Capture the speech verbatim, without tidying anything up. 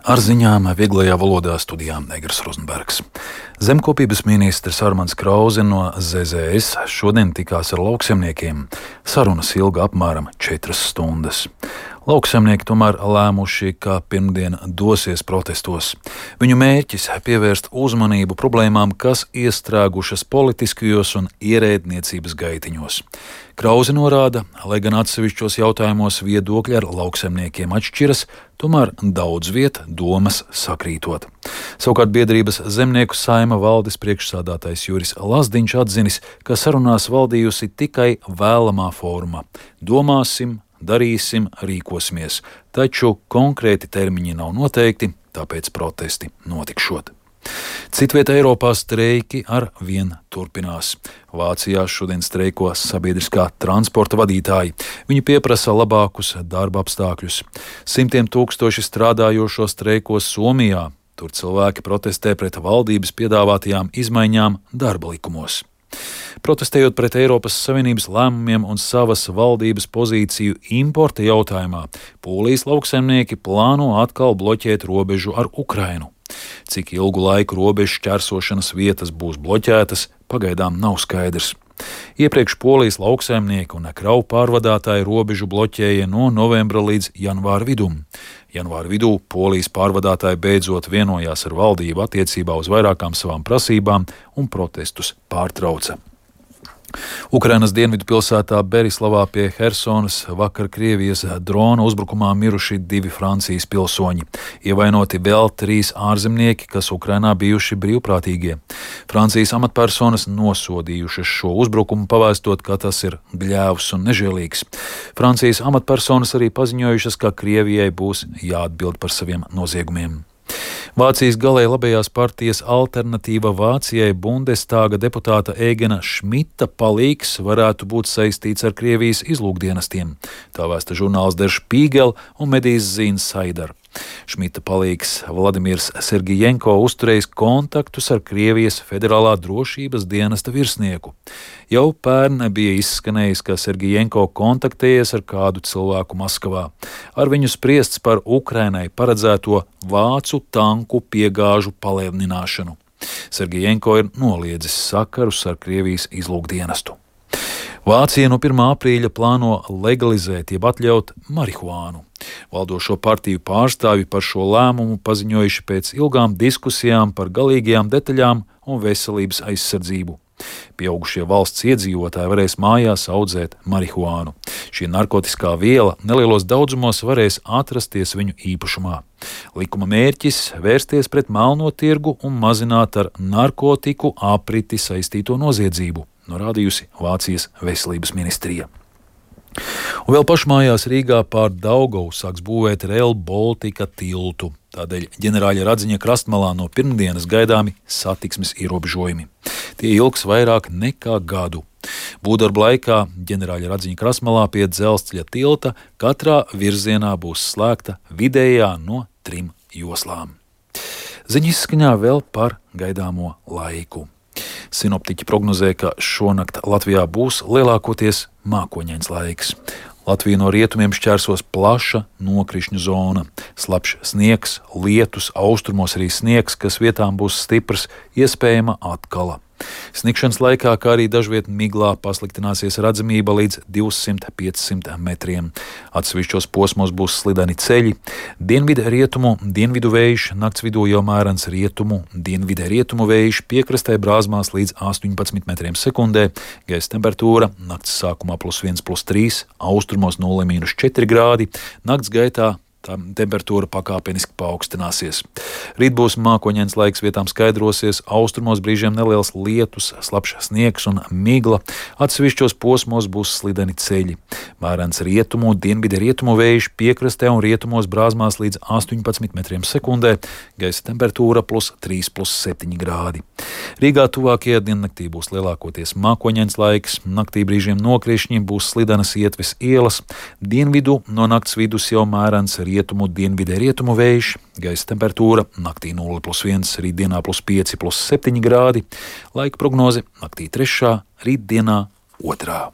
Ar ziņām vieglajā valodā studijā Negras Rozenbergs. Zemkopības ministrs Armands Krause no Z Z S šodien tikās ar lauksaimniekiem. Sarunas ilga apmēram četras stundas. Lauksaimnieki tomēr lēmuši, ka pirmdien dosies protestos. Viņu mērķis - pievērst uzmanību problēmām, kas iestrēgušas politiskajos un ierēdniecības gaitiņos. Krause norāda, lai gan atsevišķos jautājumos viedokļi ar lauksaimniekiem atšķiras, tomēr daudz viet domas sakrītot. Savukārt biedrības Zemnieku saima valdes priekšsādātājs Juris Lazdiņš atzinis, ka sarunās valdījusi tikai vēlamā forma. Domāsim, darīsim, rīkosimies, taču konkrēti termiņi nav noteikti, tāpēc protesti notikšot. Citvietā Eiropā streiki ar vien turpinās. Vācijā šodien streiko sabiedriskā transporta vadītāji. Viņi pieprasa labākus darba apstākļus. Simtiem tūkstoši strādājošo streikos Somijā. Tur cilvēki protestē pret valdības piedāvātajām izmaiņām darba likumos. Protestējot pret Eiropas Savienības lēmumiem un savas valdības pozīciju importa jautājumā, Polijas lauksaimnieki plāno atkal bloķēt robežu ar Ukrainu. Cik ilgu laiku robežu šķērsošanas vietas būs bloķētas, pagaidām nav skaidrs. Iepriekš Polijas lauksaimnieki un kravu pārvadātāji robežu bloķēja no novembra līdz janvāra vidum. Janvāra vidū Polijas pārvadātāji beidzot vienojās ar valdību attiecībā uz vairākām savām prasībām un protestus pārtrauca. Ukrainas dienvidu pilsētā Berislavā pie Hersonas vakar Krievijas drona uzbrukumā miruši divi Francijas pilsoņi. Ievainoti vēl trīs ārzemnieki, kas Ukrainā bijuši brīvprātīgie. Francijas amatpersonas nosodījušas šo uzbrukumu, pavēstot, ka tas ir gļēvs un nežēlīgs. Francijas amatpersonas arī paziņojušas, ka Krievijai būs jāatbild par saviem noziegumiem. Vācijas galēji labējās partijas Alternatīva Vācijai Bundestāga deputāta Ēgena Šmita palīgs varētu būt saistīts ar Krievijas izlūkdienestiem. Tā vēsta žurnāls Der Spiegel un medijas Zīnsaidar. Šmita palīgs Vladimirs Sergijenko uzturējis kontaktus ar Krievijas federālā drošības dienesta virsnieku. Jau pērn bija izskanējis, ka Sergijenko kontaktējies ar kādu cilvēku Maskavā. Ar viņu spriests par Ukrainai paredzēto vācu tanku piegāžu palielināšanu. Sergijenko ir noliedzis sakarus ar Krievijas izlūkdienestu. Vācija no pirmā aprīļa plāno legalizēt jeb atļaut marihuānu. Valdošo partiju pārstāvji par šo lēmumu paziņojuši pēc ilgām diskusijām par galīgajām detaļām un veselības aizsardzību. Pieaugušie valsts iedzīvotāji varēs mājās audzēt marihuānu. Šī narkotiskā viela nelielos daudzumos varēs atrasties viņu īpašumā. Likuma mērķis - vērsties pret melno tirgu un mazināt ar narkotiku apriti saistīto noziedzību, norādījusi Vācijas veselības ministrija. Un vēl pašmājās Rīgā pār Daugavu sāks būvēt Rail Baltica tiltu. Tādēļ ģenerāļa Radziņa krastmalā no pirmdienas gaidāmi satiksmes ierobežojumi. Tie ilgs vairāk nekā gadu. Būvdarba laikā ģenerāļa Radziņa krastmalā pie dzelzceļa tilta katrā virzienā būs slēgta vidējā no trim joslām. Ziņas izskaņā vēl par gaidāmo laiku. Sinoptiķi prognozē, ka šonakt Latvijā būs lielākoties mākoņains laiks. Latviju no rietumiem šķērsos plaša nokrišņu zona. Slapjš sniegs, lietus, austrumos arī sniegs, kas vietām būs stiprs, iespējama atkala. Sniegšanas laikā, kā arī dažviet miglā, pasliktināsies redzamība līdz divsimt līdz piecsimt metriem. Atsevišķos posmos būs slideni ceļi. Dienvidu rietumu, dienvidu vējš, nakts vidū jau mērens rietumu, dienvidu rietumu vējš, piekrastē brāzmās līdz astoņpadsmit metriem sekundē. Gaisa temperatūra nakts sākumā plus viens, plus trīs, austrumos nulle mīnus četri grādi, nakts gaitā tā temperatūra pakāpeniski paaugstināsies. Rīt būs mākoņains laiks, vietām skaidrosies, austrumos brīžiem neliels lietus, slapjš sniegs un migla. Atsevišķos posmos būs slideni ceļi. Mērens rietumu, dienvidu rietumu vējš, piekrastē un rietumos brāzmās līdz astoņpadsmit metriem sekundē. Gaisa temperatūra plus trīs, plus septiņi grādi. Rīgā tuvākajā diennaktī būs lielākoties mākoņains laiks, naktī brīžiem nokrišņi, būs slidenas ietves ielas. Dienvidu no nakts vidus jau mērens rietumu, dienvidē rietumu vējš, gaisa temperatūra naktī nulle plus viens, rītdienā plus pieci, plus septiņi grādi, laika prognoze naktī trešā, rītdienā otrā.